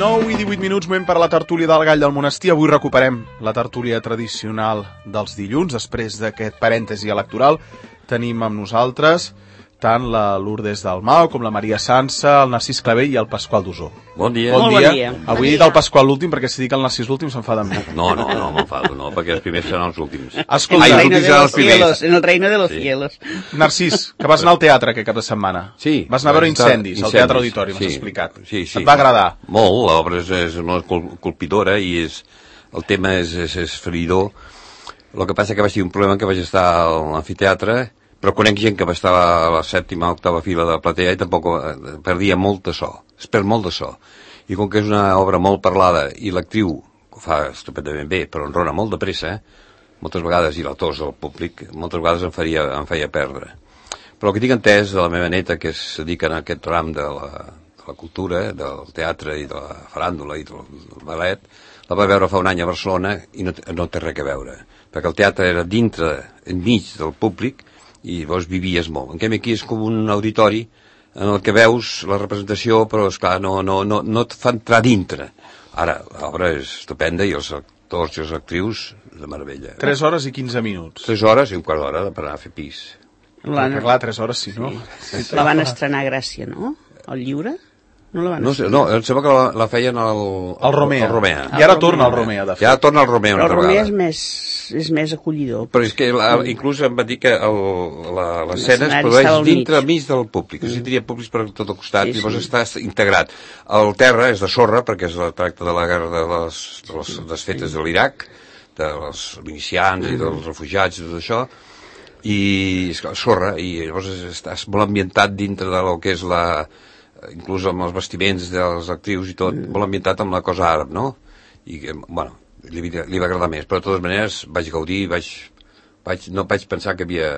9 i 18 minuts, moment per a la tertúlia del Gall del Monestir. Avui recuperem la tertúlia tradicional dels dilluns. Després d'aquest parèntesi electoral tenim amb nosaltres tant la Lourdes Dalmau com la Maria Sansa, el Narcís Clavell i el Pasqual Dusó. Bon dia. Bon dia. Avui he dit el Pasqual l'últim perquè si dic el Narcís l'últim s'enfada amb mi. No, m'enfado, no, perquè els primers seran els últims. Escolta, en el reino de los cielos. Narcís, que vas anar al teatre aquest cap de setmana. Sí. Vas anar a veure Incendis, al Teatre Auditori, m'has explicat. Sí. Et va agradar? Molt, l'obra és molt colpidora i el tema és feridor. El que passa que vaig tenir un problema que vaig estar a l'amfiteatre, però conec gent que va estar a la 7ª o 8ª fila de la platea i tampoc perdia molt de so, es perd molt de so. I com que és una obra molt parlada i l'actriu ho fa estupendament bé, però enrona molt de pressa, moltes vegades, i l'autors del públic, moltes vegades em feia perdre. Però el que tinc entès de la meva neta, que es dedica a aquest ram de la cultura, del teatre i de la faràndula i del ballet, la va veure fa un any a Barcelona i no té res a veure, perquè el teatre era dintre, enmig del públic, i llavors vivies molt. En canvi aquí és com un auditori en el que veus la representació, però esclar, no et fa entrar dintre. Ara, l'obra és estupenda i els actors i les actrius de meravella. 3 hores i 15 minuts. 3 hores i un quart d'hora per anar a fer pis. Perquè clar, 3 hores sí, no? Sí. La van estrenar a Gràcia, no? El Lliure? No la van estrenar? No, em sembla que la feien al Romea. I ara torna al Romea, de fet. Ja torna al Romea una altra vegada. Però el Romea és més acollidor. Però és que inclús em va dir que l'escena es produeix dintre mig del públic. O sigui, tenia públics per tot el costat, i llavors està integrat. El terra és de sorra, perquè es tracta de la guerra de les desfetes de l'Iraq, dels milicians i dels refugiats i tot això, i sorra, i llavors estàs molt ambientat dintre del que és inclús amb els vestiments dels actrius i tot, molt ambientat amb la cosa àrab, no? I, bueno, li va agradar més, però de totes maneres vaig gaudir, no vaig pensar que havia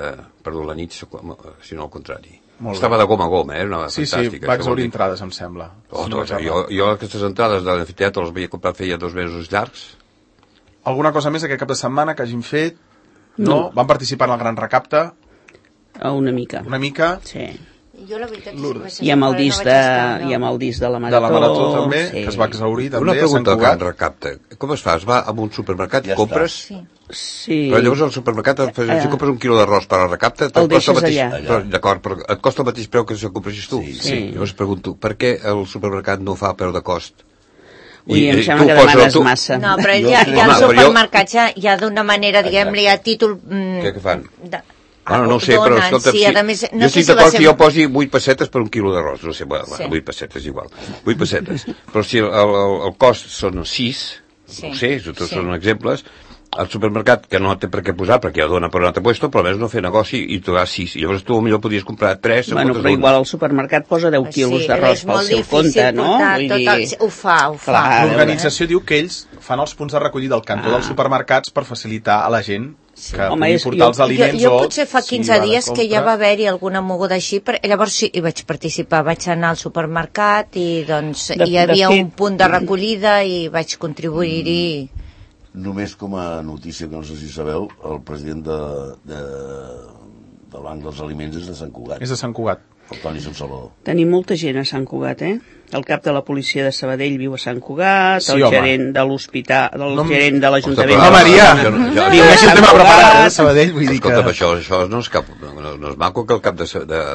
perdut la nit, sinó al contrari. Estava de gom a gom, era fantàstica. Sí, va exaurir entrades, em sembla. Jo aquestes entrades de l'amfiteatre les havia comprat feia 2 mesos llargs. Alguna cosa més aquest cap de setmana que hagin fet? No? Van participar en el Gran Recapte? Una mica. Una mica? Sí. Jo la veritat I amb el disc de la Marató. De la Marató també, que es va exaurir també. Una pregunta al Gran Recapte. Com es fa? Es va a un supermercat i compres? Sí. Però llavors al supermercat, si compres 1 quilo d'arròs per al recapte, el deixes allà. D'acord, però et costa el mateix preu que si el compres tu? Sí. Llavors pregunto, per què el supermercat no fa preu de cost? Em sembla que demanes massa. No, però ja al supermercat ja d'una manera, diguem-li, a títol... Què fan? Bueno, no ho sé, però escolta, jo estic d'acord que jo posi 8 pessetes per 1 quilo d'arròs, no sé, 8 pessetes igual, 8 pessetes, però si el cost són 6, no ho sé, tots són exemples, al supermercat, que no té per què posar, perquè ja dona per un altre puesto, però almenys no fer negoci i tu has 6, i llavors tu millor podries comprar 3. Bueno, però igual el supermercat posa 10 quilos d'arròs pel seu compte, no? Ho fa. L'organització diu que ells fan els punts de recollida al cantó dels supermercats per facilitar a la gent que pugui portar els aliments. Jo potser fa 15 dies que ja va haver-hi alguna moguda així, llavors sí, hi vaig participar, vaig anar al supermercat i doncs hi havia un punt de recollida i vaig contribuir-hi. Només com a notícia, que no sé si sabeu, el president de Banc dels Aliments és de Sant Cugat. És de Sant Cugat. El Toni Salvador. Tenim molta gent a Sant Cugat, El cap de la policia de Sabadell viu a Sant Cugat, el gerent de l'hospital, el gerent de l'Ajuntament... No, Maria! Viu a Sant Cugat. Sabadell, vull dir que... Escolta, això no és maco que el cap de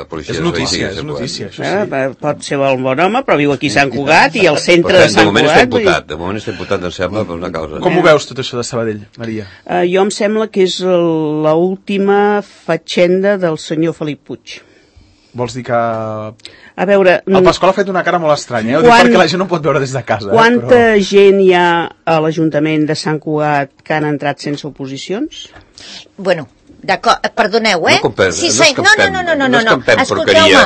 policia... És notícia, això sí. Pot ser un bon home, però viu aquí a Sant Cugat i al centre de Sant Cugat. De moment està imputat, em sembla, per una causa. Com ho veus, tot això de Sabadell, Maria? Jo em sembla que és l'última fatxenda del senyor Felip Puig. Vols dir que... A veure... El Pasqual ha fet una cara molt estranya, Ho dic perquè la gent no pot veure des de casa. Quanta gent hi ha a l'Ajuntament de Sant Cugat que han entrat sense oposicions? Bueno, d'acord, perdoneu, No escampem, escolteu-me.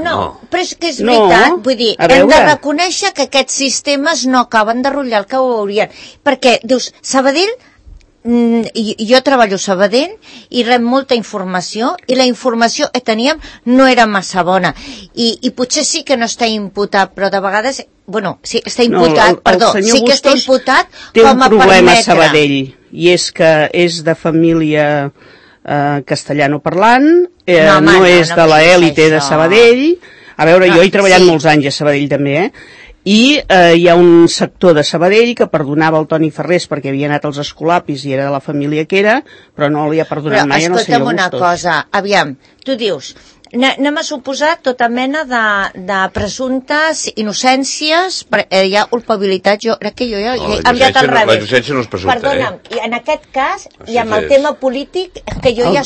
No, però és que és veritat, vull dir, hem de reconèixer que aquests sistemes no acaben de rotllar el que ho haurien. Perquè, dius, Sabadell... jo treballo a Sabadell i rep molta informació i la informació que teníem no era massa bona i potser sí que no està imputat, però de vegades sí, està imputat, sí que està imputat té com a un problema permetre. A Sabadell i és que és de família castellano-parlant, no és de l'élite de Sabadell. A veure, jo he treballat molts anys a Sabadell també, I hi ha un sector de Sabadell que perdonava el Toni Ferrés perquè havia anat als escolapis i era de la família que era, però no li ha perdonat mai al senyor Bustos. Però escolta'm una cosa, aviam, tu dius, anem a suposar tota mena de presumptes innocències, hi ha culpabilitat, jo crec que jo ja he enviat al revés. La innocència no és presumpta, Perdona'm, i en aquest cas, i amb el tema polític, que jo ja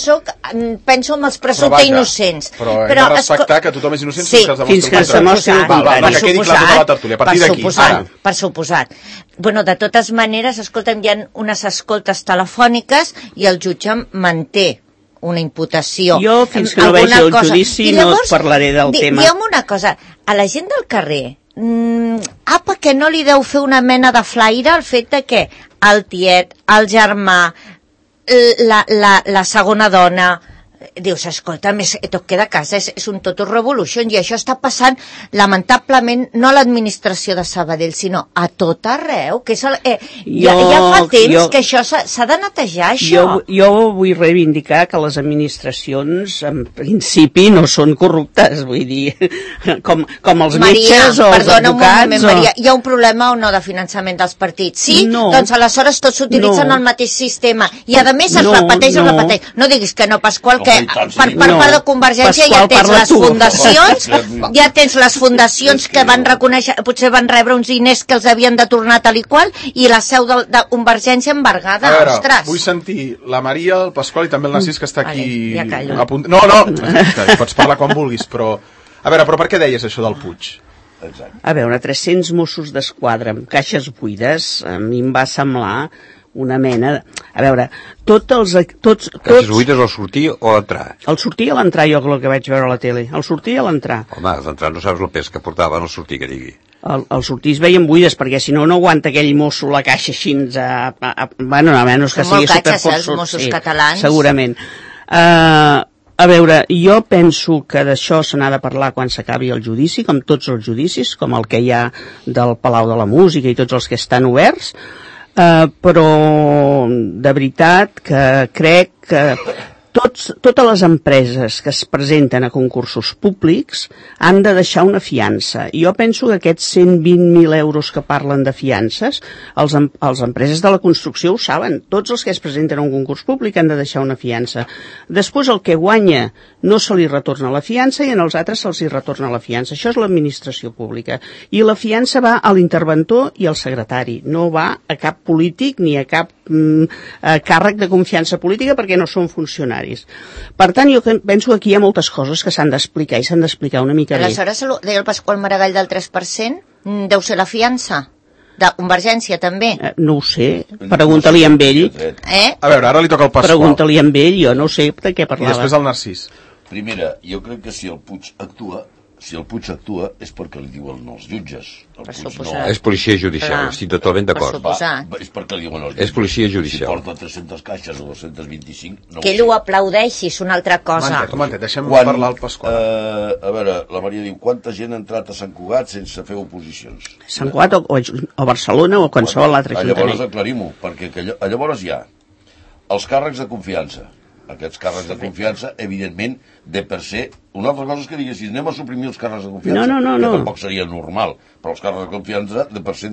penso en els presumptes innocents. Però hem de respectar que tothom és innocent fins que es demostri el contrari. Que quedi clar tota la tertúlia, a partir d'aquí, ara. Per suposat. Bueno, de totes maneres, escolta'm, hi ha unes escoltes telefòniques i el jutge manté una imputació. Jo, fins que no vegi el judici, no et parlaré del tema. Digue'm una cosa, a la gent del carrer, apa, que no li deu fer una mena de flaire el fet de que el tiet, el germà, la segona dona, dius, escolta, tot queda a casa, és un total revolution, i això està passant, lamentablement, no a l'administració de Sabadell, sinó a tot arreu, que és ja fa temps que això s'ha de netejar, això. Jo vull reivindicar que les administracions, en principi, no són corruptes, vull dir, com els metges o els advocats. Maria, hi ha un problema o no de finançament dels partits? Sí? No. Doncs aleshores tots utilitzen el mateix sistema, i a més es repeteix. No diguis que no, Pasqual, que per part de Convergència ja tens les fundacions, que van reconèixer, potser van rebre uns diners que els havien de tornar tal i qual, i la seu de Convergència embargada. A veure, vull sentir la Maria, el Pasqual i també el Narcís, que està aquí... Ja callo. No, pots parlar quan vulguis, però... A veure, però per què deies això del Puig? Exacte. A veure, 300 Mossos d'Esquadra amb caixes buides, a mi em va semblar una mena... A veure, Caixes buides al sortir o a l'entrar? Al sortir i a l'entrar, jo el que vaig veure a la tele. Al sortir i a l'entrar. Home, a l'entrar no saps el pes que portaven al sortir, que digui. Al sortir es veien buides, perquè si no aguanta aquell mosso la caixa així bueno, a menys que sigui superforçós. Els Mossos catalans. Segurament. A veure, jo penso que d'això se n'ha de parlar quan s'acabi el judici, com tots els judicis, com el que hi ha del Palau de la Música i tots els que estan oberts, però de veritat que crec que totes les empreses que es presenten a concursos públics han de deixar una fiança. Jo penso que aquests 120.000 euros que parlen de fiances, els empreses de la construcció ho saben. Tots els que es presenten a un concurs públic han de deixar una fiança. Després el que guanya no se li retorna la fiança i en els altres se'ls hi retorna la fiança. Això és l'administració pública. I la fiança va a l'interventor i al secretari. No va a cap polític ni a cap càrrec de confiança política perquè no són funcionaris. Per tant, jo penso que aquí hi ha moltes coses que s'han d'explicar i s'han d'explicar una mica bé. Aleshores, deia el Pasqual Maragall del 3%, deu ser la fiança de Convergència, també. No ho sé, pregunta-li amb ell. A veure, ara li toca el Pasqual. Pregunta-li amb ell, jo no sé de què parlava. I després el Narcís. Primera, jo crec que si el Puig actua és perquè li diuen els jutges. És policia judicial, estic totalment d'acord. És perquè li diuen els jutges. És policia judicial. Si porta 300 caixes o 225... Que ell ho aplaudeixi, és una altra cosa. Deixem parlar el Pasqual. A veure, la Maria diu, quanta gent ha entrat a Sant Cugat sense fer oposicions? Sant Cugat o Barcelona o qualsevol altre ajuntament. Llavors aclarim-ho, perquè llavors hi ha els càrrecs de confiança. Aquests càrrecs de confiança, evidentment, de per ser... Una altra cosa és que diguessis, anem a suprimir els càrrecs de confiança, que tampoc seria normal, però els càrrecs de confiança de per ser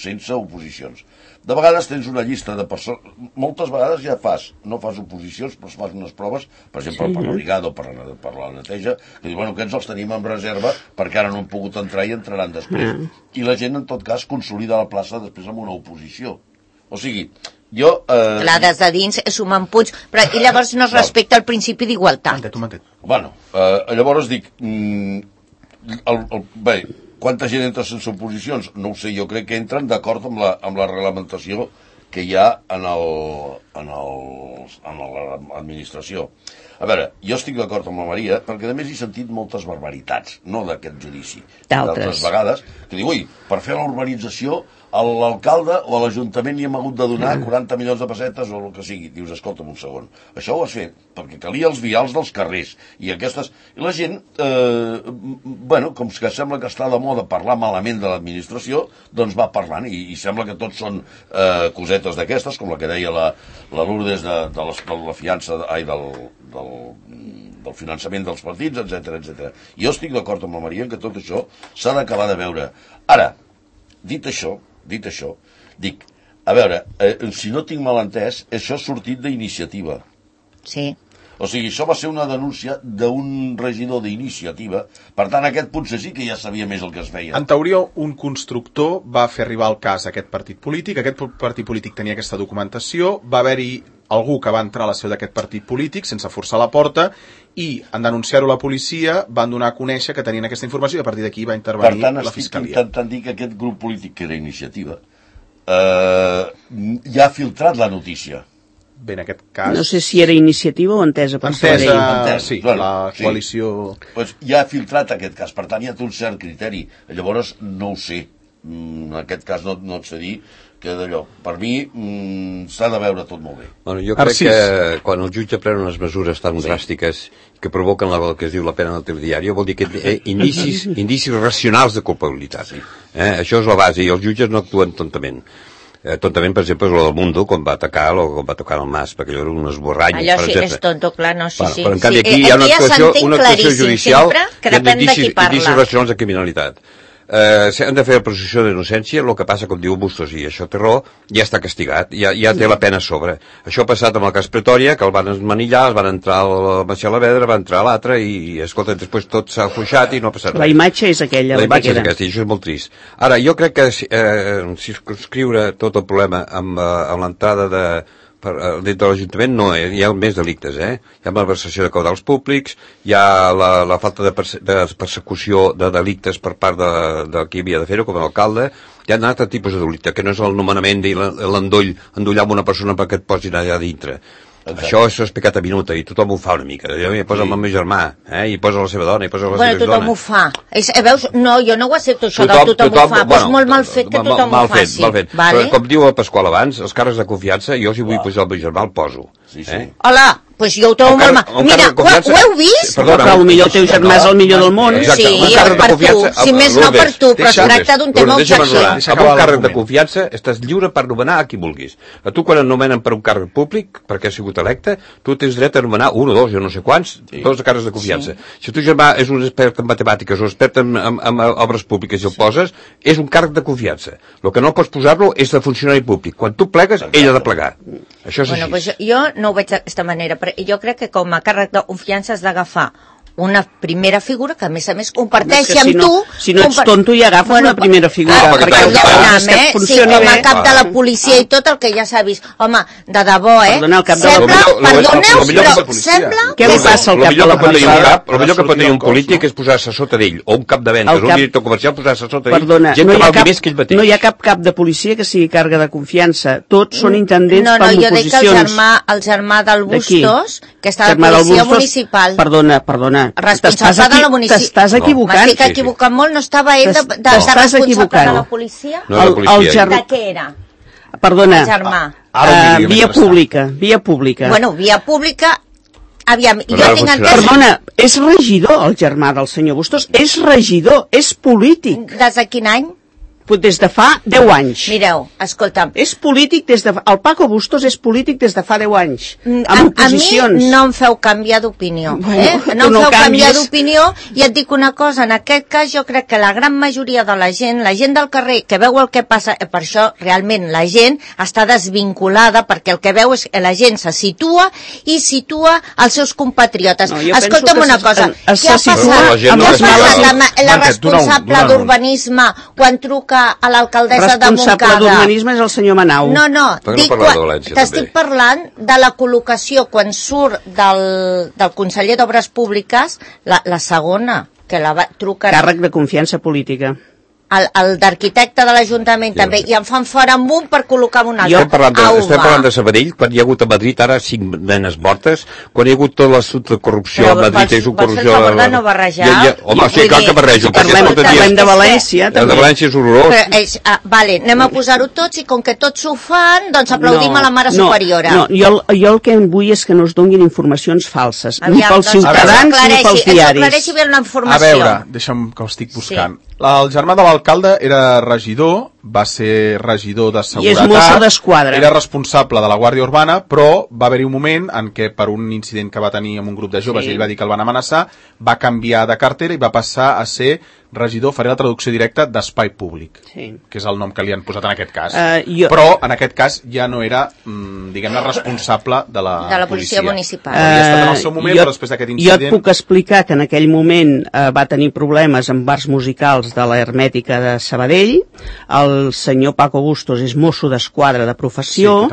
sense oposicions. De vegades tens una llista de persones... Moltes vegades ja no fas oposicions, però fas unes proves, per exemple, per la brigada o per la neteja, que diu, bueno, aquests els tenim en reserva perquè ara no han pogut entrar i entraran després. I la gent, en tot cas, consolida la plaça després amb una oposició. O sigui, jo... Clar, des de dins sumen punts, però i llavors no es respecta el principi d'igualtat. Bueno, llavors dic... Bé, quanta gent entra sense oposicions? No ho sé, jo crec que entren d'acord amb la reglamentació que hi ha en l'administració. A veure, jo estic d'acord amb la Maria, perquè a més he sentit moltes barbaritats, no d'aquest judici, d'altres vegades, que diu, ui, per fer la urbanització a l'alcalde o a l'Ajuntament li hem hagut de donar 40 milions de pessetes o el que sigui. Dius, escolta'm un segon, això ho has fet perquè calia els vials dels carrers i aquestes... I la gent, bueno, com que sembla que està de moda parlar malament de l'administració, doncs va parlant i sembla que tots són cosetes d'aquestes, com la que deia la Lourdes de la fiança, del finançament dels partits, etc. Jo estic d'acord amb la Maria que tot això s'ha d'acabar de veure. Ara, dit això, dic, a veure, si no tinc mal entès, això ha sortit d'Iniciativa. Sí. O sigui, això va ser una denúncia d'un regidor d'Iniciativa, per tant, aquest potser sí que ja sabia més el que es feia. En teoria, un constructor va fer arribar el cas a aquest partit polític tenia aquesta documentació, va haver-hi algú que va entrar a la seu d'aquest partit polític sense forçar la porta i, en denunciar-ho a la policia, van donar a conèixer que tenien aquesta informació i a partir d'aquí va intervenir la Fiscalia. Per tant, estic intentant dir que aquest grup polític, que era Iniciativa, ja ha filtrat la notícia. Bé, en aquest cas... No sé si era Iniciativa o Entesa per Sabadell. Sí, la coalició... Pues ja ha filtrat aquest cas, per tant ja té un cert criteri. Llavors, no ho sé. En aquest cas no et sé dir que d'allò. Per mi s'ha de veure tot molt bé. Bueno, jo crec que quan el jutge pren unes mesures tan dràstiques que provoquen el que es diu la pena del telediari, vol dir que indicis racionals de culpabilitat. Això és la base, i els jutges no actuen tontament. Tontament, per exemple, és el del Mundo, quan va atacar el Mas, perquè allò era un esborrany. Allò sí, és tonto, clar, no, sí. Però en canvi aquí hi ha una actuació judicial que depèn de qui parla. Indicis racionals de criminalitat. S'han de fer la presumpció d'innocència, el que passa, com diu Bustos, i això té raó, ja està castigat, ja té la pena a sobre. Això ha passat amb el cas Pretòria, que el van esmanillar, es van entrar al Macià Lavedra, va entrar a l'altre, i escolta, després tot s'ha afluixat i no ha passat res. La imatge és aquella. La imatge és aquesta, i això és molt trist. Ara, jo crec que circumscriure tot el problema amb l'entrada dintre de l'Ajuntament no, hi ha més delictes, hi ha malversació de caudals públics, hi ha la falta de persecució de delictes per part de qui havia de fer-ho, com l'alcalde, hi ha un altre tipus de delicte, que no és el nomenament i l'endollar amb una persona perquè et posin allà dintre. Exacte. Això és pecat a minuta i tothom ho fa una mica. Hi posa el meu germà, hi posa la seva dona, hi posa la seva tothom ho fa. Veus? No, jo no ho accepto això del tothom ho fa, però és molt mal fet que tothom ho faci. Mal fet. Però, com diu el Pasqual abans, els càrrecs de confiança, jo si vull posar el meu germà el poso. Hola, doncs jo ho trobo molt mal. Mira, ho heu vist? Però potser el teu germà és el millor del món. Sí, per tu, si més no per tu, però es tracta d'un tema objectiu. Amb un càrrec de confiança estàs lliure per nomenar a qui vulguis. A tu quan et nomenen per un càrrec públic, perquè has sigut electe, tu tens dret a nomenar un o dos, jo no sé quants, tots els càrrecs de confiança. Si el teu germà és un expert en matemàtiques o expert en obres públiques i el poses, és un càrrec de confiança. El que no pots posar-lo és de funcionari públic. Quan tu plegues, ell ha de plegar. Això és així. Jo no ho veig d'aquesta manera, però jo crec que com a càrrec de confiança has d'agafar una primera figura que a més comparteixi amb tu. Si no ets tonto i agafes una primera figura. Sí, com a cap de la policia i tot el que ja s'ha vist. Home, de debò, sembla... Què li passa al cap de la policia? El millor que pot tenir un polític és posar-se sota d'ell, o un cap de ventes, un director comercial posar-se sota d'ell. Perdona, no hi ha cap cap de policia que sigui càrrega de confiança. Tots són intendents per oposicions. No, jo dic que el germà del Bustos, que està a la policia municipal. Perdona. Responsable de la municipal. T'estàs equivocant. M'estic equivocant molt, no estava ell de responsable de la policia? No, de policia. De què era? Perdona. El germà. Via pública. Bueno, via pública... Aviam, jo tinc entès... Perdona, és regidor el germà del senyor Bustos, és regidor, és polític. Des de quin any? Des de fa 10 anys. Mireu, escolta'm. És polític des de... El Paco Bustos és polític des de fa 10 anys. Amb oposicions. A mi no em feu canviar d'opinió. No em feu canviar d'opinió i et dic una cosa, en aquest cas jo crec que la gran majoria de la gent del carrer que veu el que passa, per això realment la gent està desvinculada perquè el que veu és que la gent se situa i situa els seus compatriotes. Escolta'm una cosa, què ha passat amb la responsable d'urbanisme quan truca a l'alcaldessa de Montcada? Responsable d'urbanisme és el senyor Manau. No, t'estic parlant de la col·locació quan surt del conseller d'Obres Públiques, la segona, que la va trucar... Càrrec de confiança política. El d'arquitecte de l'Ajuntament també, i em fan fora amb un per col·locar un altre. Estem parlant de Sabadell, quan hi ha hagut a Madrid ara 5 nenes mortes, quan hi ha hagut tot l'assumpte de corrupció a Madrid, és una corrupció... Per favor, no barrejar. Home, sí, clar que barrejo. Parlem de València, també. El de València és horrorós. Vale, anem a posar-ho tots i com que tots ho fan, doncs aplaudim a la mare superiora. No, jo el que vull és que no es donguin informacions falses, ni pels ciutadans ni pels diaris. Aclareixi bé la informació. A veure, deixa'm que ho estic buscant. El germà de l'alcalde era regidor va ser regidor de seguretat. I és mosso d'esquadra. Era responsable de la Guàrdia Urbana, però va haver-hi un moment en què per un incident que va tenir amb un grup de joves, ell va dir que el van amenaçar, va canviar de cartera i va passar a ser regidor, faré la traducció directa, d'Espai Públic, que és el nom que li han posat en aquest cas. Però en aquest cas ja no era, diguem-ne, responsable de la policia municipal. Havia estat en el seu moment, però després d'aquest incident... Jo et puc explicar que en aquell moment va tenir problemes amb bars musicals de la Hermètica de Sabadell. El senyor Paco Bustos és mosso d'esquadra de professió,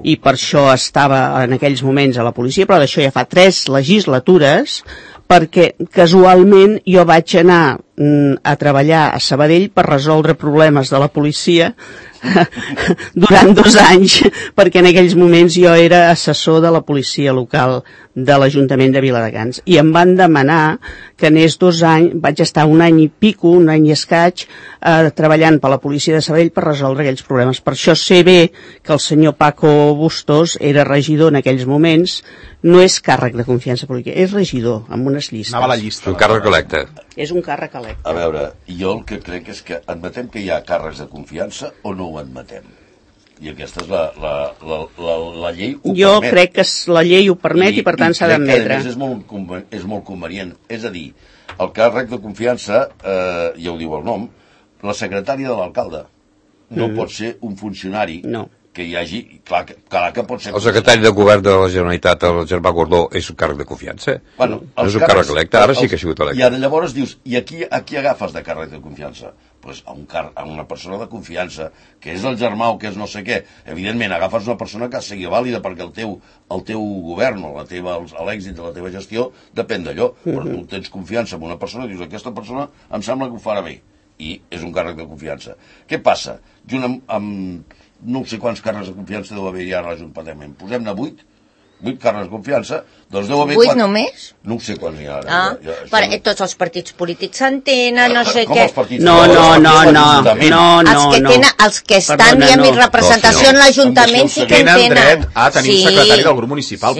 i per això estava en aquells moments a la policia, però d'això ja fa 3 legislatures, perquè casualment jo vaig anar a treballar a Sabadell per resoldre problemes de la policia durant 2 anys, perquè en aquells moments jo era assessor de la policia local de l'Ajuntament de Viladecans, i em van demanar que anés 2 anys, vaig estar 1 any i pico, 1 any i escaig, treballant per la policia de Sabadell per resoldre aquells problemes. Per això sé bé que el senyor Paco Bustos era regidor en aquells moments. No és càrrec de confiança política, és regidor, amb unes llistes. Anava a la llista. És un càrrec electe. És un càrrec electe. A veure, jo el que crec és que admetem que hi ha càrrecs de confiança o no ho admetem? I aquesta és la llei ho jo permet. Crec que la llei ho permet i per tant s'ha d'admetre. És molt convenient. És a dir, el càrrec de confiança, ja ho diu el nom, la secretària de l'alcalde no pot ser un funcionari que hi hagi... Clar que pot ser... El secretari de govern de la Generalitat, el Germà Gordó, és un càrrec de confiança. Bueno, no és un càrrec electe, ara sí que ha sigut electe. I ara llavors dius, i a qui agafes de càrrec de confiança? Pues a una persona de confiança, que és el germà o que és no sé què. Evidentment, agafes una persona que sigui vàlida perquè el teu govern o l'èxit de la teva gestió depèn d'allò. Però tu tens confiança en una persona i dius, aquesta persona em sembla que ho farà bé. I és un càrrec de confiança. Què passa? Junt amb no sé quants càrrecs de confiança deu haver-hi ara a l'Ajuntament. Posem-ne 8 càrrecs de confiança, doncs deu haver... 8 només? No sé quants hi ha ara. Tots els partits polítics s'entenen, no sé què... No. Els que estan i amb representació en l'Ajuntament sí que tenen dret a tenir un secretari del grup municipal,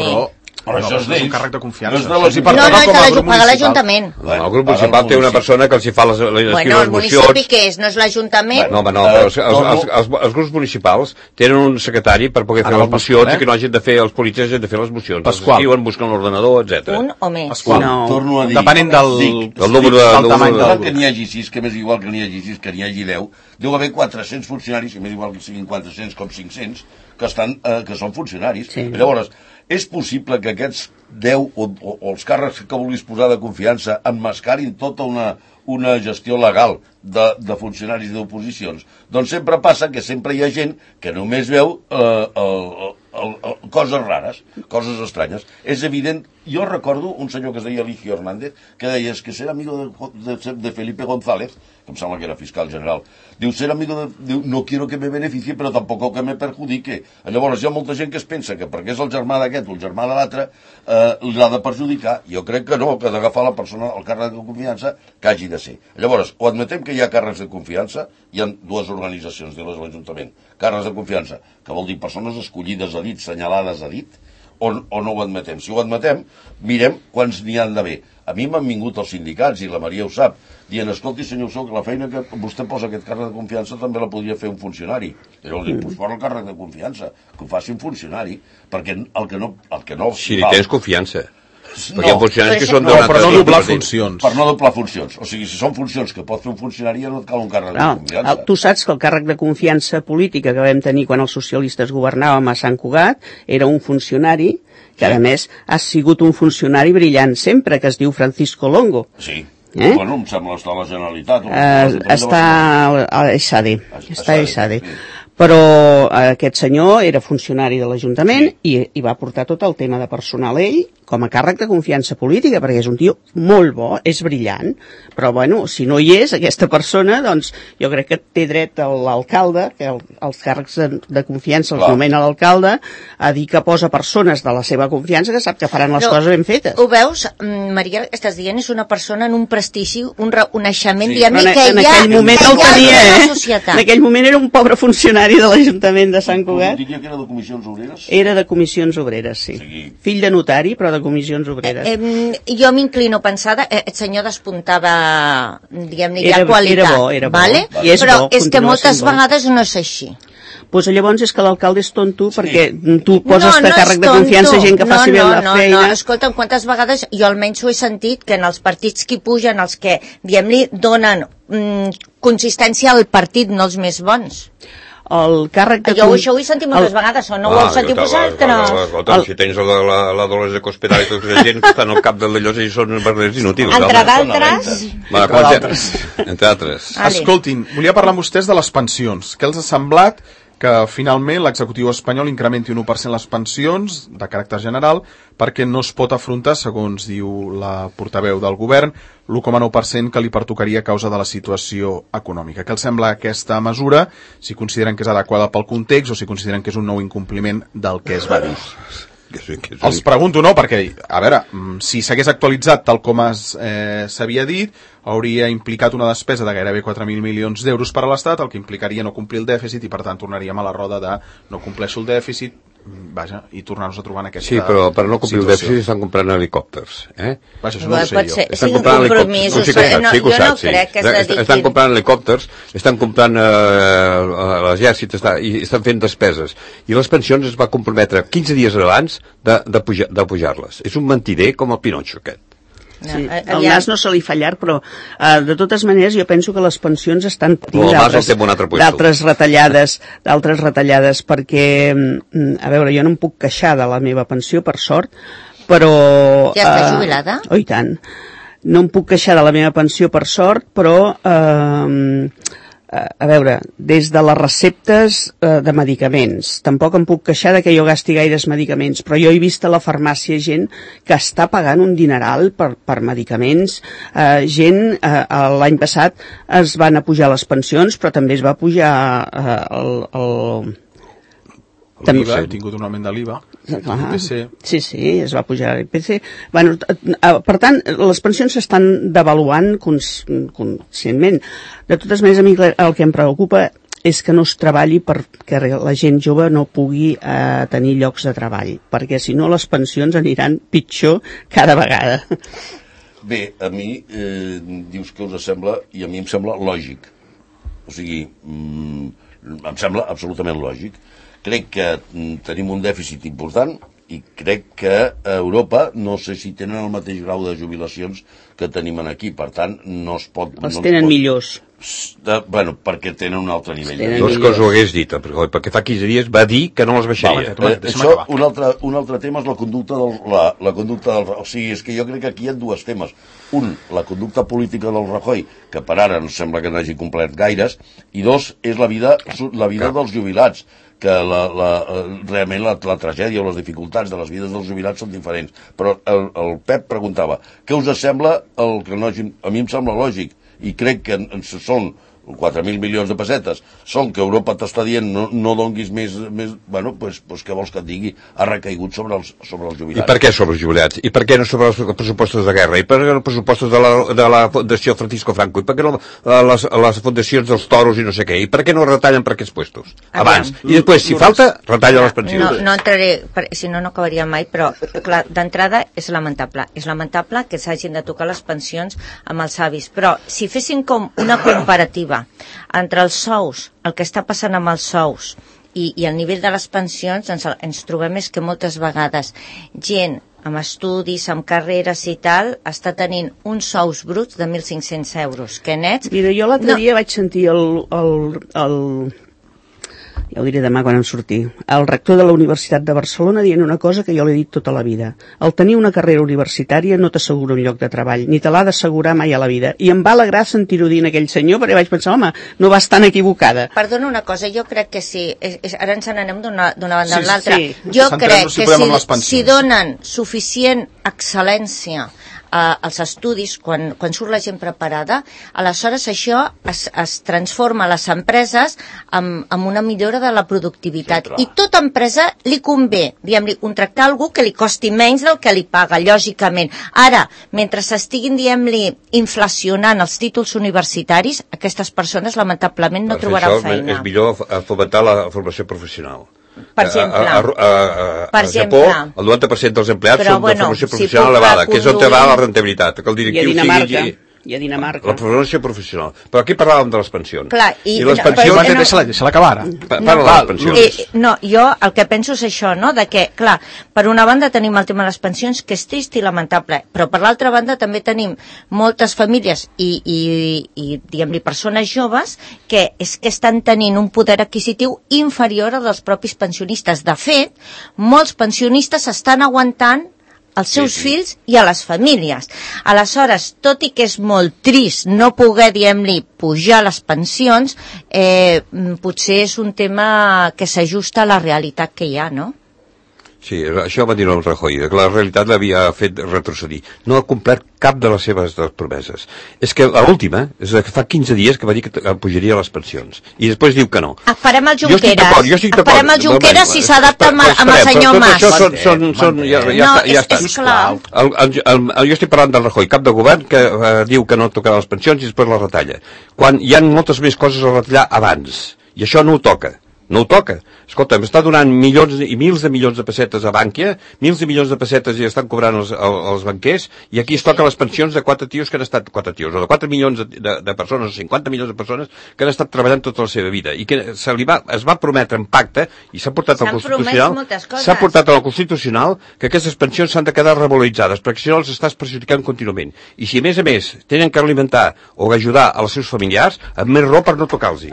però això és un càrrec de confiança. No, és de pagar l'Ajuntament. El grup municipal té una persona que els hi fa les mocions. Bueno, el municipi què és? No és l'Ajuntament? No, però els grups municipals tenen un secretari per poder fer les mocions i que no hagin de fer els polítics, hagin de fer les mocions. Pasqual. Escriuen, busquen l'ordenador, etc. Un o més? Pasqual. Torno a dir. Depenent del número del tamany del... Que n'hi hagi 6, que m'és igual que n'hi hagi 6, que n'hi hagi 10, deu haver 400 funcionaris, que m'és igual que siguin 400 com 500, que són funcionaris. Llavors, és possible que aquests 10 o els càrrecs que vulguis posar de confiança emmascarin tota una gestió legal de funcionaris d'oposicions? Doncs sempre passa que sempre hi ha gent que només veu coses rares, coses estranyes. És evident, jo recordo un senyor que es deia Eligio Hernández, que deia que ser amigo de Felipe González, que em sembla que era fiscal general, diu, ser amigo no quiero que me beneficie, però tampoc que me perjudique. Llavors hi ha molta gent que es pensa que perquè és el germà d'aquest o el germà de l'altre, l'ha de perjudicar. Jo crec que no, que ha d'agafar la persona, el càrrec de confiança que hagi de ser. Llavors, o admetem que hi ha càrrecs de confiança, hi ha 2 organitzacions de l'Ajuntament, càrrecs de confiança, que vol dir persones escollides a dit, senyalades a dit, o no ho admetem. Si ho admetem, mirem quants n'hi han d'haver. A mi m'han vingut els sindicats, i la Maria ho sap, dient, escolti, senyor Sou, que la feina que vostè posa aquest càrrec de confiança també la podria fer un funcionari. I llavors dic, doncs fora el càrrec de confiança, que ho faci un funcionari, perquè el que no si li tens confiança. Perquè hi ha funcionaris que són per no doblar funcions. Per no doblar funcions. O sigui, si són funcions que pot fer un funcionari, ja no et cal un càrrec de confiança. Tu saps que el càrrec de confiança política que vam tenir quan els socialistes governàvem a Sant Cugat era un funcionari que, a més, ha sigut un funcionari brillant sempre, que es diu Francisco Longo. Sí. Bueno, em sembla estar a la Generalitat. Està a ESADE. Està a ESADE. Però aquest senyor era funcionari de l'Ajuntament i va portar tot el tema de personal ell com a càrrec de confiança política, perquè és un tio molt bo, és brillant, però bueno, si no hi és aquesta persona, doncs jo crec que té dret l'alcalde, que els càrrecs de confiança els nomena l'alcalde, a dir que posa persones de la seva confiança que sap que faran les coses ben fetes. Ho veus, Maria, estàs dient, és una persona en un prestigi, un reconeixement, diguem-ne, que en aquell moment el tenia, en aquell moment era un pobre funcionari de l'Ajuntament de Sant Cugat. Diria que era de comissions obreres? Era de comissions obreres, sí. Fill de notari, però de Comissions Obreres. Jo m'inclino a pensar, el senyor despuntava, diguem-ne, ja qualitat. Era bo. Vale? Però és que moltes vegades no és així. Pues llavors és que l'alcalde és tonto perquè tu poses de càrrec de confiança gent que faci bé la feina. No, escolta'm, quantes vegades jo almenys ho he sentit que en els partits que pugen, els que, diguem-li, donen consistència al partit, no els més bons. El càrrec de... Jo això ho he sentit moltes vegades, o no ho heu sentit vosaltres? Si tens la Dolors de Cospedal i tota la gent que estan al cap de d'allò i són verdaders inútils. Entre altres. Escoltin, volia parlar amb vostès de les pensions. Què els ha semblat que finalment l'executiu espanyol incrementi un 1% les pensions de caràcter general perquè no es pot afrontar, segons diu la portaveu del govern, l'1,9% que li pertocaria a causa de la situació econòmica. Què els sembla aquesta mesura, si consideren que és adequada pel context o si consideren que és un nou incompliment del que es va dir? Els pregunto, no, perquè, a veure, si s'hagués actualitzat tal com s'havia dit, hauria implicat una despesa de gairebé 4.000 milions d'euros per a l'Estat, el que implicaria no complir el dèficit i, per tant, tornaríem a la roda de no compleixo el dèficit, vaja, i tornar-nos a trobar en aquesta situació. Sí, però per no complir el dèficit estan comprant helicòpters, Vaja, això no ho sé jo. Estan comprant helicòpters, sí que ho saps, sí. Estan comprant helicòpters, estan comprant l'exèrcit i estan fent despeses. I les pensions es va comprometre 15 dies abans de pujar-les. És un mentider com el Pinotxo aquest. Sí, el nas no se li fa llarg, però de totes maneres jo penso que les pensions estan patint d'altres retallades perquè, a veure, jo no em puc queixar de la meva pensió, per sort, però... Ja està jubilada? Oh, i tant. No em puc queixar de la meva pensió, per sort, però... a veure, des de les receptes de medicaments, tampoc em puc queixar de que jo gasti gaires medicaments, però jo he vist a la farmàcia gent que està pagant un dineral per medicaments, gent, l'any passat es van apujar les pensions, però també es va pujar l'IVA, hem tingut un augment de l'IVA. Sí, es va pujar l'IPC. Bueno, per tant, les pensions s'estan devaluant conscientment. De totes maneres, a mi el que em preocupa és que no es treballi perquè la gent jove no pugui tenir llocs de treball, perquè si no les pensions aniran pitjor cada vegada. Bé, a mi dius que us sembla, i a mi em sembla lògic. O sigui, em sembla absolutament lògic. Crec que tenim un dèficit important i crec que a Europa no sé si tenen el mateix grau de jubilacions que tenim aquí, per tant no es pot... Els tenen millors. Bueno, perquè tenen un altre nivell. No és que us ho hagués dit, perquè fa 15 dies va dir que no les baixaria. Això, un altre tema és la conducta del... O sigui, és que jo crec que aquí hi ha dos temes. Un, la conducta política del Rajoy, que per ara no sembla que n'hagi complert gaires, i dos, és la vida dels jubilats, que realment la tragèdia o les dificultats de les vides dels jubilats són diferents. Però el Pep preguntava, què us sembla el que no hagin... A mi em sembla lògic, i crec que són 4.000 milions de pessetes, són que Europa t'està dient no donguis més... Bueno, doncs què vols que et digui? Ha recaigut sobre els jubilats. I per què sobre els jubilats? I per què no sobre els pressupostos de guerra? I per què els pressupostos de la Fundació Francisco Franco? I per què no les fundacions dels toros i no sé què? I per què no retallen per aquests puestos? Abans. I després, si falta, retalla les pensions. No entraré, si no acabaria mai, però clar, d'entrada és lamentable. És lamentable que s'hagin de tocar les pensions amb els avis. Però si fessin com una comparativa entre els sous, el que està passant amb els sous i el nivell de les pensions, ens trobem és que moltes vegades gent amb estudis, amb carreres i tal, està tenint uns sous bruts de 1.500 euros, que nets... Mira, jo l'altre dia vaig sentir ja ho diré demà quan em surti, el rector de la Universitat de Barcelona dient una cosa que jo l'he dit tota la vida. El tenir una carrera universitària no t'assegura un lloc de treball, ni te l'ha d'assegurar mai a la vida. I em va alegrar sentir-ho dir aquell senyor, perquè vaig pensar, home, no vas tan equivocada. Perdona una cosa, jo crec que sí, ara ens n'anem d'una banda a l'altra. Sí. Jo crec que si donen suficient excel·lència als estudis, quan surt la gent preparada, aleshores això es transforma a les empreses amb una millora de la productivitat. Sí, i tota empresa li convé, diguem-li, contractar algú que li costi menys del que li paga, lògicament. Ara, mentre s'estiguin, diguem-li, inflacionant els títols universitaris, aquestes persones lamentablement no trobaran feina. És millor fomentar la formació professional. Per exemple. A Japó, el 90% dels empleats són de formació professional elevada, que és on va la rentabilitat, que el directiu sigui... I a Dinamarca. La formació professional. Però aquí parlàvem de les pensions. Clar, I les pensions... Deixa-la acabar ara. Parla de les pensions. No, jo el que penso és això, no? De que, clar, per una banda tenim el tema de les pensions, que és trist i lamentable, però per l'altra banda també tenim moltes famílies i diguem-li, persones joves que estan tenint un poder adquisitiu inferior al dels propis pensionistes. De fet, molts pensionistes estan aguantant als seus fills i a les famílies. Aleshores, tot i que és molt trist no poder, diguem-li, pujar les pensions, potser és un tema que s'ajusta a la realitat que hi ha, no? Sí, això va dir el Rajoy, que la realitat l'havia fet retrocedir. No ha complert cap de les seves promeses. És que l'última, és que fa 15 dies que va dir que pujaria les pensions. I després diu que no. Esperem el Junqueras. Esperem el Junqueras si s'adapta amb el senyor Mas. Ja està. Jo estic parlant del Rajoy, cap de govern, que diu que no tocarà les pensions i després les retalla. Quan hi ha moltes més coses a retallar abans. I això no ho toca. No ho toca. Escolta, m'està donant milions i mils de milions de pessetes a Bànquia, mils de milions de pessetes i estan cobrant els banquers, i aquí es toquen les pensions de 4 tios que han estat, 4 tios, o de 4 milions de persones, o 50 milions de persones que han estat treballant tota la seva vida, i que es va prometre en pacte, i s'ha portat al Constitucional, que aquestes pensions s'han de quedar revaloritzades, perquè si no els estàs perjudicant contínuament. I si a més tenen que alimentar o ajudar als seus familiars, amb més raó per no tocar-los.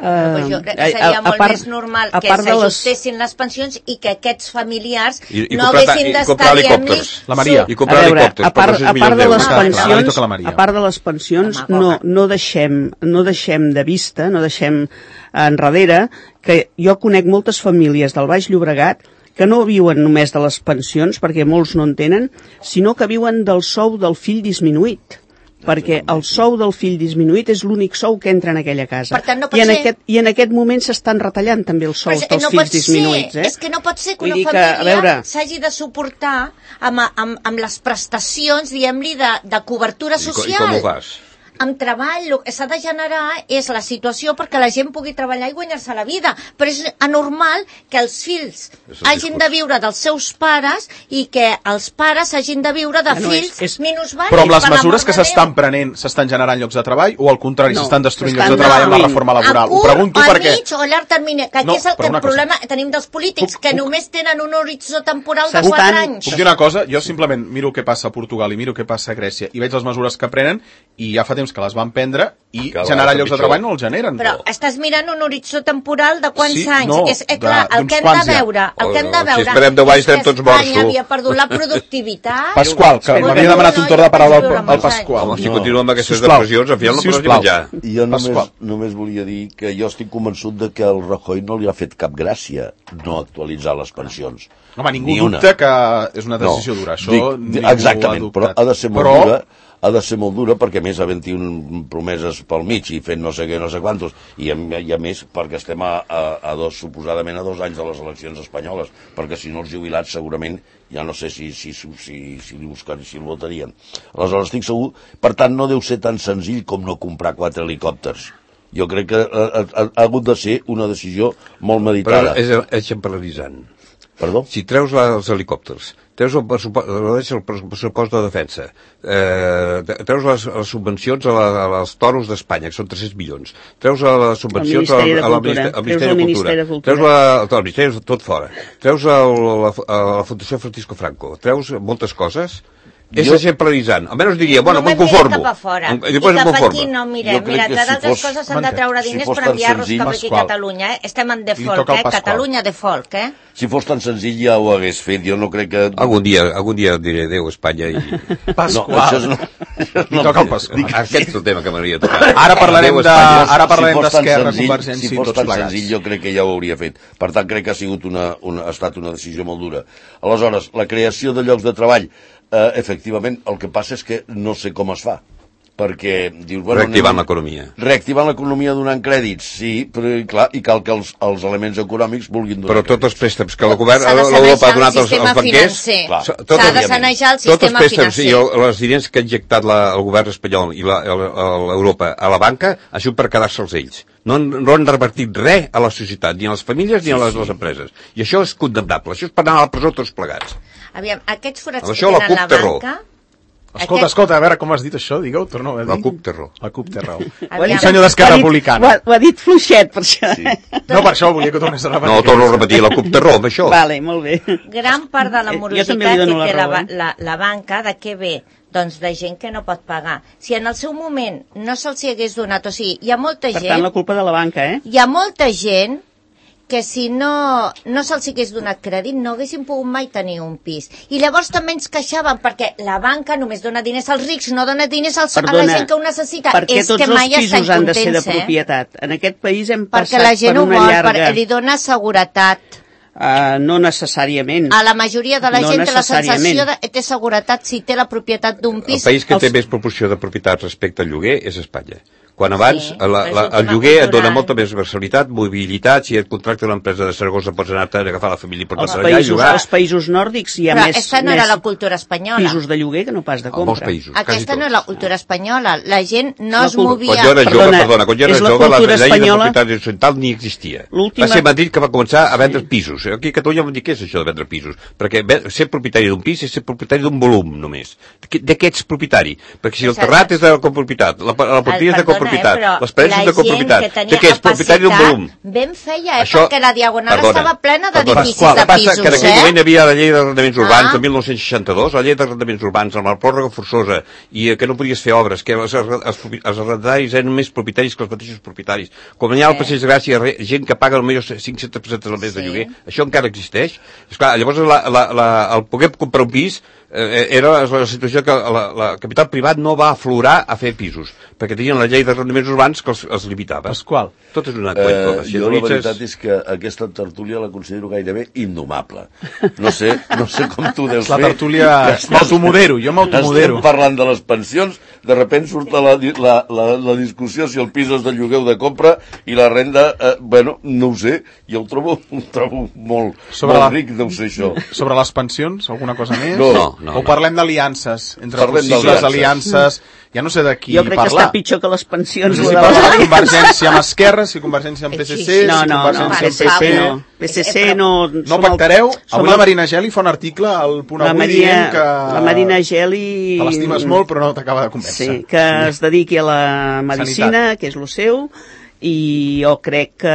Jo crec que seria molt més normal que s'ajustessin les pensions i que aquests familiars no haguessin d'estar, diguem-li... La Maria. I comprar helicòpters. A part de les pensions, no deixem de vista, no deixem enrere, que jo conec moltes famílies del Baix Llobregat que no viuen només de les pensions, perquè molts no en tenen, sinó que viuen del sou del fill disminuït. Perquè el sou del fill disminuït és l'únic sou que entra en aquella casa. Per tant, no pot ser... I en aquest moment s'estan retallant també els sous dels fills disminuïts. És que no pot ser que una família s'hagi de suportar amb les prestacions, diguem-li, de cobertura social. I com ho fas? Amb treball, el que s'ha de generar és la situació perquè la gent pugui treballar i guanyar-se la vida, però és anormal que els fills hagin de viure dels seus pares i que els pares hagin de viure de fills minusvàlids. Però amb les mesures que s'estan prenent s'estan generant llocs de treball o al contrari s'estan destruint llocs de treball amb la reforma laboral? Ho pregunto perquè... A mig o a llarg termini, que aquí és el problema que tenim dels polítics, que només tenen un horitzó temporal de 4 anys. Puc dir una cosa? Jo simplement miro què passa a Portugal i miro què passa a Grècia i veig les mesures que prenen i ja fa temps que les van prendre i generar llocs de treball no els generen. Però estàs mirant un horitzó temporal de quants anys? No, clar, el que hem de veure, si esperem 10 anys estem tots morts. Espanya havia perdut la productivitat. Pasqual, que m'havia demanat un torn de paraula al Pasqual. Si continuem amb aquestes depressions, al final no podràs menjar. Jo només volia dir que jo estic convençut de que el Rajoy no li ha fet cap gràcia no actualitzar les pensions. Home, ningú dubta que és una decisió dura. Exactament, però ha de ser molt dura. Ha de ser molt dura perquè a més havent-hi promeses pel mig i fent no sé què, no sé quantos, i a més perquè estem suposadament a 2 anys de les eleccions espanyoles, perquè si no els jubilats segurament ja no sé si el votarien. Aleshores estic segur, per tant no deu ser tan senzill com no comprar 4 helicòpters. Jo crec que ha hagut de ser una decisió molt meditada. Però és exemplaritzant. Perdó? Si treus els helicòpters, treus el pressupost de defensa, treus les subvencions als toros d'Espanya, que són 300 milions, treus les subvencions al Ministeri de Cultura, treus el Ministeri tot fora, treus la Fundació Francisco Franco, treus moltes coses. És exemplaritzant. Almenys diria, bueno, me'n conformo. I cap aquí no mirem. Mira, entre d'altres coses s'han de treure diners per enviar-los cap aquí a Catalunya. Estem en default, Catalunya default, Si fos tan senzill ja ho hagués fet. Jo no crec que... Algun dia diré adéu, Espanya. Pasqual. No toca el Pasqual. Aquest és el tema que m'hauria tocat. Ara parlarem d'Esquerra, Convergència i tots plegats. Si fos tan senzill jo crec que ja ho hauria fet. Per tant, crec que ha estat una decisió molt dura. Aleshores, la creació de llocs de treball, efectivament, el que passa és que no sé com es fa, perquè dius... Reactivant l'economia. Reactivant l'economia donant crèdits, sí, però clar, i cal que els elements econòmics vulguin donar crèdits. Però tots els préstecs que el govern l'Europa ha donat als banquers... S'ha de sanejar el sistema financer. I els diners que ha injectat el govern espanyol i l'Europa a la banca ha sigut per quedar-se'ls ells. no han revertit res a la societat, ni a les famílies ni a les empreses. I això és condemnable, això és per anar a la presó tots plegats. Aviam, aquests forats que tenen la banca... Escolta, a veure com has dit això, digue-ho, torna a dir. La CUP té raó. La CUP té raó. Un senyor d'Esquerra Republicana. Ho ha dit fluixet, per això. Sí. No, per això volia que tornés a repetir. No, torno a repetir, la CUP té raó, per això. Vale, molt bé. Gran part de la morositat que té la banca, de què ve? Doncs de gent que no pot pagar. Si en el seu moment no se'ls hagués donat, o sigui, hi ha molta gent... Per tant, la culpa de la banca, Hi ha molta gent que si no se'ls hagués donat crèdit no haguessin pogut mai tenir un pis. I llavors també ens queixaven perquè la banca només dona diners als rics, no dona diners a la gent que ho necessita. Perquè tots els pisos han de ser de propietat. En aquest país hem passat per una llarga... Perquè la gent ho vol, perquè li dona seguretat. No necessàriament. A la majoria de la gent té la sensació de té seguretat si té la propietat d'un pis. El país que té més proporció de propietat respecte al lloguer és Espanya. Quan abans el lloguer et dona molta més versatilitat, mobilitat, si et contracta una empresa de Saragossa pots anar-te a agafar la família i portar-te allà i jugar. Als països nòrdics hi ha més... Però aquesta no era la cultura espanyola. Pisos de lloguer que no pas de compra. Molts països, aquesta no és la cultura espanyola. La gent no es movia... Quan jo era jove, la llei de propietat horitzontal ni existia. Va ser Madrid que va començar a vendre pisos. Aquí a Catalunya vam dir què és això de vendre pisos. Perquè ser propietari d'un pis és ser propietari d'un volum, només. De què ets propietari? Perquè si el terrat és de copropitat, la porteria és de copropitat, les parets són de copropitat, de què és propietari d'un volum? Ben feia, perquè la Diagonal estava plena d'edificis de pisos, que en aquell moment hi havia la llei d'arrendaments urbans de 1962, la llei d'arrendaments urbans amb la pròrroga forçosa, i que no podies fer obres, que els arrendataris eren més propietaris que els mateixos propietaris. Com hi ha al Passeig de Gràcia gent que paga potser 500% al mes de lloguer, això encara existeix. Esclar, llavors el poder comprar un pis era la situació que la capital privat no va aflorar a fer pisos, perquè tenien la llei d'arrendaments urbans que els limitava. Pasqual. Tot és una cuenta. Jo la veritat és que aquesta tertúlia la considero gairebé indomable. No sé com tu deus fer. La tertúlia... M'automodero, jo m'automodero. Estem parlant de les pensions, de sobte surt la discussió si el pis és de lloguer o de compra, i la renda, no ho sé, jo ho trobo molt ric, deu ser això. Sobre les pensions, alguna cosa més? No. O parlem d'aliances, entre possibles aliances, ja no sé de qui parlar. Jo crec que està pitjor que les pensions. No sé si parlar de Convergència amb Esquerra, si Convergència amb PSC, si Convergència amb PP... PSC no... No pactareu? Avui la Marina Geli fa un article al Punt Avui dient que... La Marina Geli... Te l'estimes molt, però no t'acaba de convèncer. Sí, que es dediqui a la medicina, que és el seu... i jo crec que...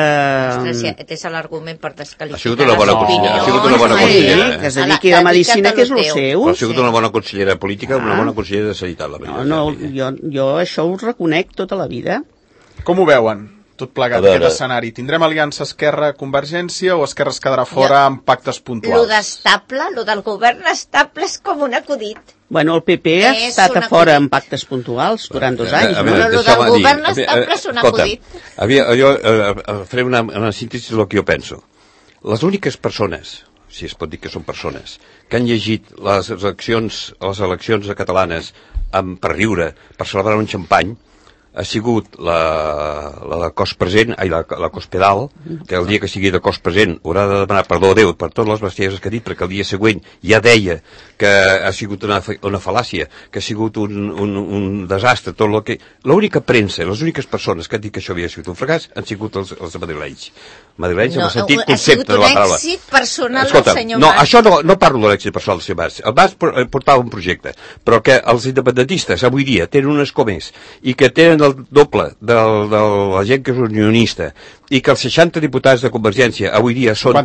Ostres, és l'argument per desqualificar. Ha sigut una bona consellera. Que es dediqui a la medicina, que és el seu. Ha sigut una bona consellera política, una bona consellera de sanitat, la veritat. No, jo això ho reconec tota la vida. Com ho veuen? Tot plegat, aquest escenari. Tindrem aliança Esquerra-Convergència o Esquerra es quedarà fora amb pactes puntuals? Lo d'estable, lo del govern estable és com un acudit. Bueno, el PP ha estat a fora amb pactes puntuals durant 2 anys. Però lo del govern estable és un acudit. Jo faré una síntesi del que jo penso. Les úniques persones, si es pot dir que són persones, que han llegit les eleccions catalanes per riure, per celebrar un xampany, ha sigut la cos present, la cos pedal, que el dia que sigui de cos present haurà de demanar perdó a Déu per totes les bestieses que ha dit, perquè el dia següent ja deia que ha sigut una fal·làcia, que ha sigut un desastre, tot el que... L'única premsa, les úniques persones que han dit que això havia sigut un fracàs han sigut els madrilenys. Madrilenys en el sentit concepte de la paraula. Ha sigut un èxit personal del senyor Mas. No, això no parlo de l'èxit personal del senyor Mas. El Mas portava un projecte, però que els independentistes avui dia tenen un escó més i que tenen el doble de la gent que és unionista i que els 60 diputats de Convergència avui dia són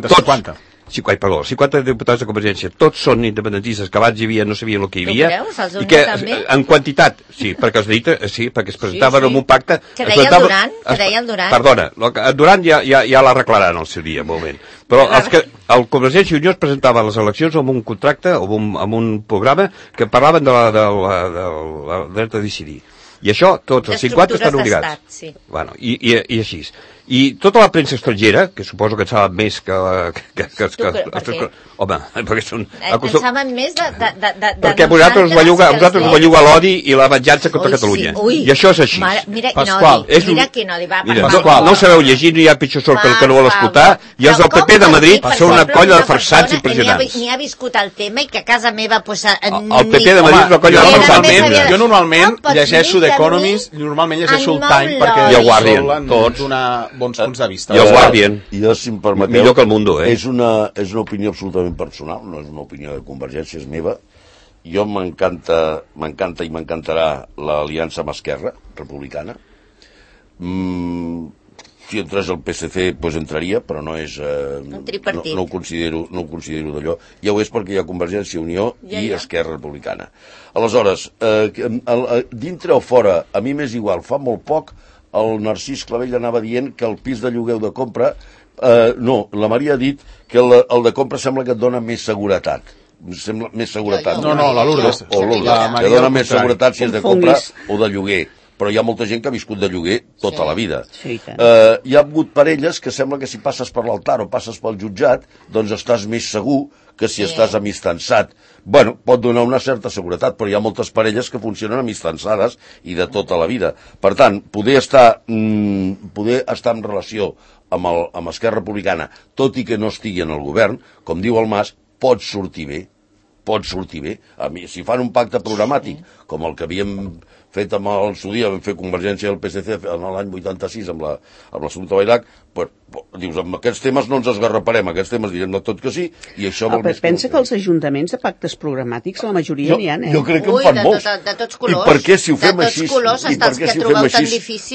50 diputats de Convergència, tots són independentistes, que abans hi havia, no sabien el que hi havia. I que en quantitat, sí, perquè es presentaven en un pacte... Que deia el Duran. Perdona, el Duran ja l'arreglaran al seu dia, un moment. Però el Convergència i Unió es presentava a les eleccions amb un contracte, amb un programa que parlaven del dret a decidir. I això, tots els 50 estan obligats. Sí. Bueno, i així. I tota la premsa estrangera, que suposo que en saben més que... Home, perquè són... En saben més de perquè vosaltres us belluga l'odi i la venjança contra Catalunya. I això és així. Mira quin odi, va. No sabeu llegir, no hi ha pitjor sort que el que no vol escoltar, i els del PP de Madrid són una colla de farsants impressionants. Ni ha viscut el tema i que a casa meva... El PP de Madrid és una colla de farsants. Jo normalment llegeixo The Economist, normalment llegeixo el Time, perquè solen donar bons punts de vista. I el Guardian. Jo, si em permeteu, millor que el Mundo, és una opinió absolutament personal, no és una opinió de Convergència, és meva. Jo m'encanta i m'encantarà l'aliança amb Esquerra Republicana. Si entrés el PSC, doncs entraria, però no és... No ho considero d'allò. Ja ho és perquè hi ha Convergència, Unió i Esquerra Republicana. Aleshores, dintre o fora, a mi m'és igual, fa molt poc el Narcís Clavell anava dient que el pis de lloguer de compra... No, la Maria ha dit que el de compra sembla que et dona més seguretat. Sembla més seguretat. No, la Lourdes. O Lourdes, que dona més seguretat si és de compra o de lloguer. Però hi ha molta gent que ha viscut de lloguer tota la vida. Hi ha hagut parelles que sembla que si passes per l'altar o passes pel jutjat, doncs estàs més segur que si estàs amistançat. Bueno, pot donar una certa seguretat, però hi ha moltes parelles que funcionen amistançades i de tota la vida. Per tant, poder estar en relació amb Esquerra Republicana, tot i que no estigui en el govern, com diu el Mas, pot sortir bé. A mi, si fan un pacte programàtic, com el que havíem fet amb el seu dia, vam fer Convergència del PSC en l'any 86 amb l'assumpte Vailac, dius, amb aquests temes no ens esgarraparem, aquests temes direm de tot que sí, i això vol més... Pensa que els ajuntaments de pactes programàtics, la majoria n'hi ha, Jo crec que en fan molts. De tots colors. I per què si ho fem així,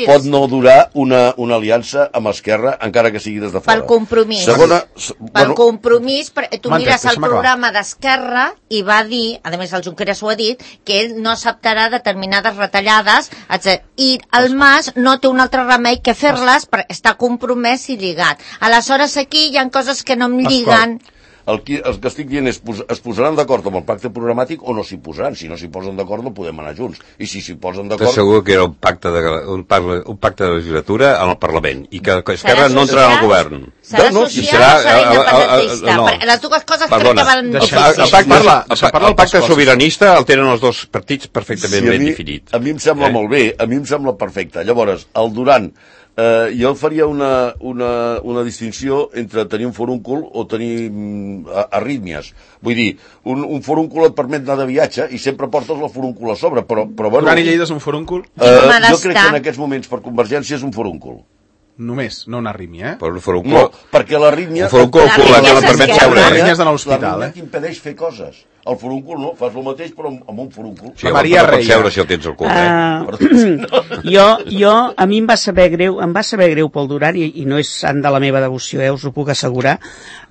pot no durar una aliança amb Esquerra, encara que sigui des de fora? Pel compromís. Pel compromís, tu mires el programa d'Esquerra i va dir, a més el Junqueras ho ha dit, que ell no acceptarà determinades retallades, etc. I el Mas no té un altre remei que fer-les per estar compromès i lligat. Aleshores aquí hi ha coses que no em lliguen. El que estic dient és, es posaran d'acord amb el pacte programàtic o no s'hi posaran? Si no s'hi posen d'acord no podem anar junts. I si s'hi posen d'acord... T'asseguro que era un pacte de legislatura en el Parlament i que Esquerra no entrarà al govern. Serà social o serà independentista? Les dues coses crec que van difícils. El pacte sobiranista el tenen els dos partits perfectament ben definit. A mi em sembla molt bé, a mi em sembla perfecte. Llavors, el Duran... jo faria una distinció entre tenir un forúncul o tenir arrítmies. Vull dir, un forúncul et permet anar de viatge i sempre portes la forúncul a sobre, però bueno... Duran i Lleida és un forúncul? Jo crec que en aquests moments per Convergència és un forúncul. Només, no una arrítmia, Per un forúncul... No, perquè l'arrítmia... Un forúncul que la permet seure. L'arrítmia és d'anar a l'hospital, L'arrítmia t'impedeix fer coses. El forúncul no, fas el mateix però amb un forúncul. Sí, Maria Reia. Seure si el tens al cul, a mi em va saber greu pel Duran, i no és sant de la meva devoció, us ho puc assegurar,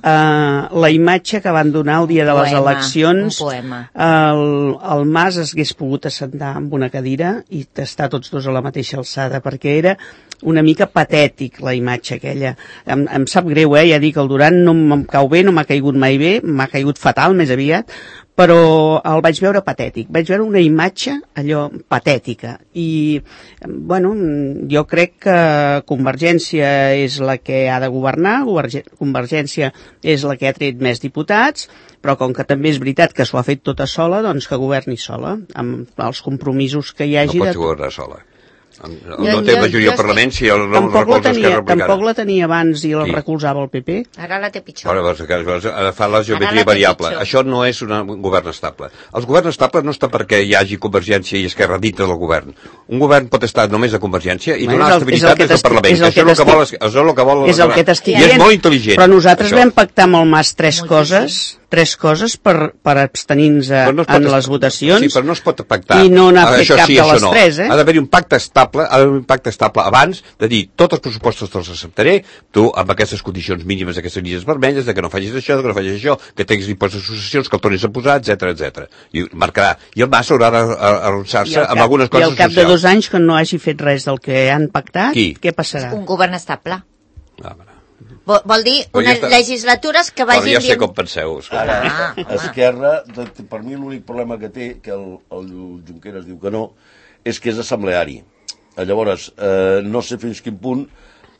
la imatge que van donar el dia de les eleccions, el Mas es hagués pogut assentar amb una cadira i estar tots dos a la mateixa alçada, perquè era una mica patètic la imatge aquella. Em sap greu, ja dic, el Duran no em cau bé, no m'ha caigut mai bé, m'ha caigut fatal més aviat, però el vaig veure patètic, vaig veure una imatge allò patètica i bueno, jo crec que Convergència és la que ha de governar, Convergència és la que ha tret més diputats, però com que també és veritat que s'ho ha fet tota sola, doncs que governi sola, amb els compromisos que hi hagi. No pot governar sola. No té majoria al Parlament si el no recolza Esquerra Republicana. Tampoc la tenia abans i la recolzava el PP. Ara la té pitjor. Ara fa la geometria variable. Això no és un govern estable. El govern estable no està perquè hi hagi Convergència i Esquerra dintre del govern. Un govern pot estar només de Convergència i donar estabilitat des del Parlament. Això és el que vol i és molt intel·ligent. Però nosaltres vam pactar amb el Mas tres coses per abstenir-nos en les votacions. Sí, però no es pot pactar. I no n'ha fet cap de les tres, Ha d'haver-hi un pacte estable abans de dir tots els pressupostos te'ls acceptaré, tu amb aquestes condicions mínimes, aquestes línies vermelles, de que no facis això, de que no facis això, que tinguis impost de successions, que el tornis a posar, etc. I marcarà. I el Mas haurà d'arronsar-se amb algunes coses socials. I al cap de 2 anys que no hagi fet res del que han pactat, què passarà? Un govern estable. Vol dir unes legislatures que vagin... Ja sé com penseu. Ara, Esquerra, per mi l'únic problema que té, que el Junqueras diu que no, és que és assembleari. Llavors, no sé fins quin punt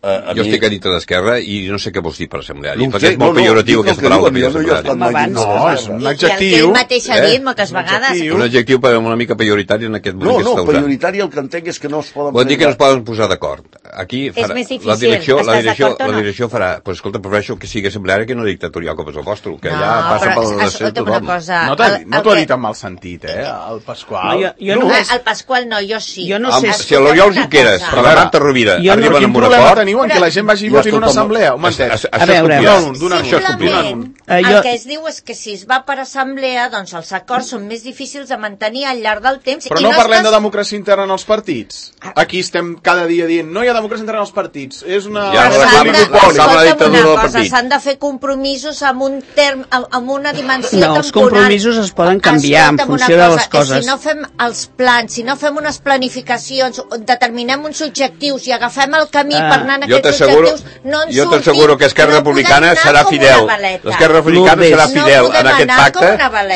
Jo estic a dintre d'Esquerra i no sé què vols dir per assembleari, perquè és molt pejoratiu aquesta paraula. No, és un adjectiu. I el que ell mateix ha dit moltes vegades. Un adjectiu una mica pejoritari en aquest moment que està usant. No, pejoritari el que entenc és que no es poden... Vol dir que no es poden posar d'acord. Aquí és més difícil, la direcció farà... Pues escolta, prefereixo que sigui assembleari que no dictatorial com és el vostre, que ja passa per la nació tothom. No t'ho ha dit en mal sentit, el Pasqual. El Pasqual no, jo sí. Si l'Oriol Junqueras, per la Marta Rovira, arriben amb un acord... teniu en que la gent vagi i voti en una assemblea? A veure, simplement, el que es diu és que si es va per assemblea, doncs els acords són més difícils de mantenir al llarg del temps. Però no parlem de democràcia interna en els partits. Aquí estem cada dia dient no hi ha democràcia interna en els partits. És una... S'han de fer compromisos amb una dimensió temporal. No, els compromisos es poden canviar en funció de les coses. Si no fem els plans, si no fem unes planificacions, determinem uns objectius i agafem el camí per anar en aquests objectius, no ens jo t'asseguro que Esquerra Republicana serà fidel. L'Esquerra Republicana serà fidel en aquest pacte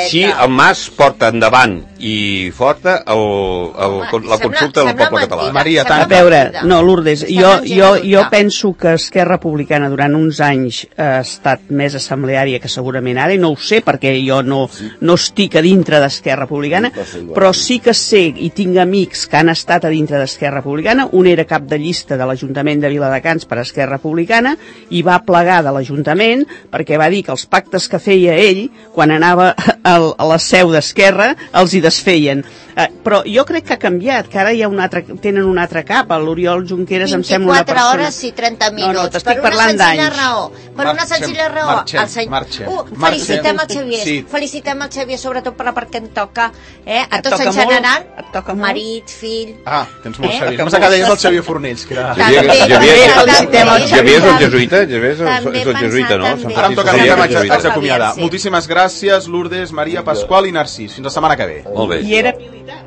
si el Mas porta endavant i forta la consulta del poble català. Maria, a veure, no, Lourdes, jo penso que Esquerra Republicana durant uns anys ha estat més assembleària que segurament ara, i no ho sé perquè jo no estic a dintre d'Esquerra Republicana, però sí que sé i tinc amics que han estat a dintre d'Esquerra Republicana. Un era cap de llista de l'Ajuntament de Viladecans per Esquerra Republicana i va plegar de l'Ajuntament perquè va dir que els pactes que feia ell quan anava a la seu d'Esquerra els hi desfeien. Però jo crec que ha canviat, que ara hi ha tenen un altre cap. L'Oriol Junqueras em sembla una persona... 24 hores i 30 minuts. No, t'estic parlant d'anys. Per una senzilla raó. Felicitem el Xavier. Felicitem el Xavier, sobretot per la part que em toca. A tots en general, marit, fill... Tens molt Xavier. Només que deies el Xavier Fornells, que era... Xavier és el jesuïta? Xavier és el jesuïta, no? Ara em toca a mi que m'haig d'acomiadar. Moltíssimes gràcies, Lourdes, Maria, Pasqual i Narcís. Fins la setmana que ve. Molt bé. I era militar.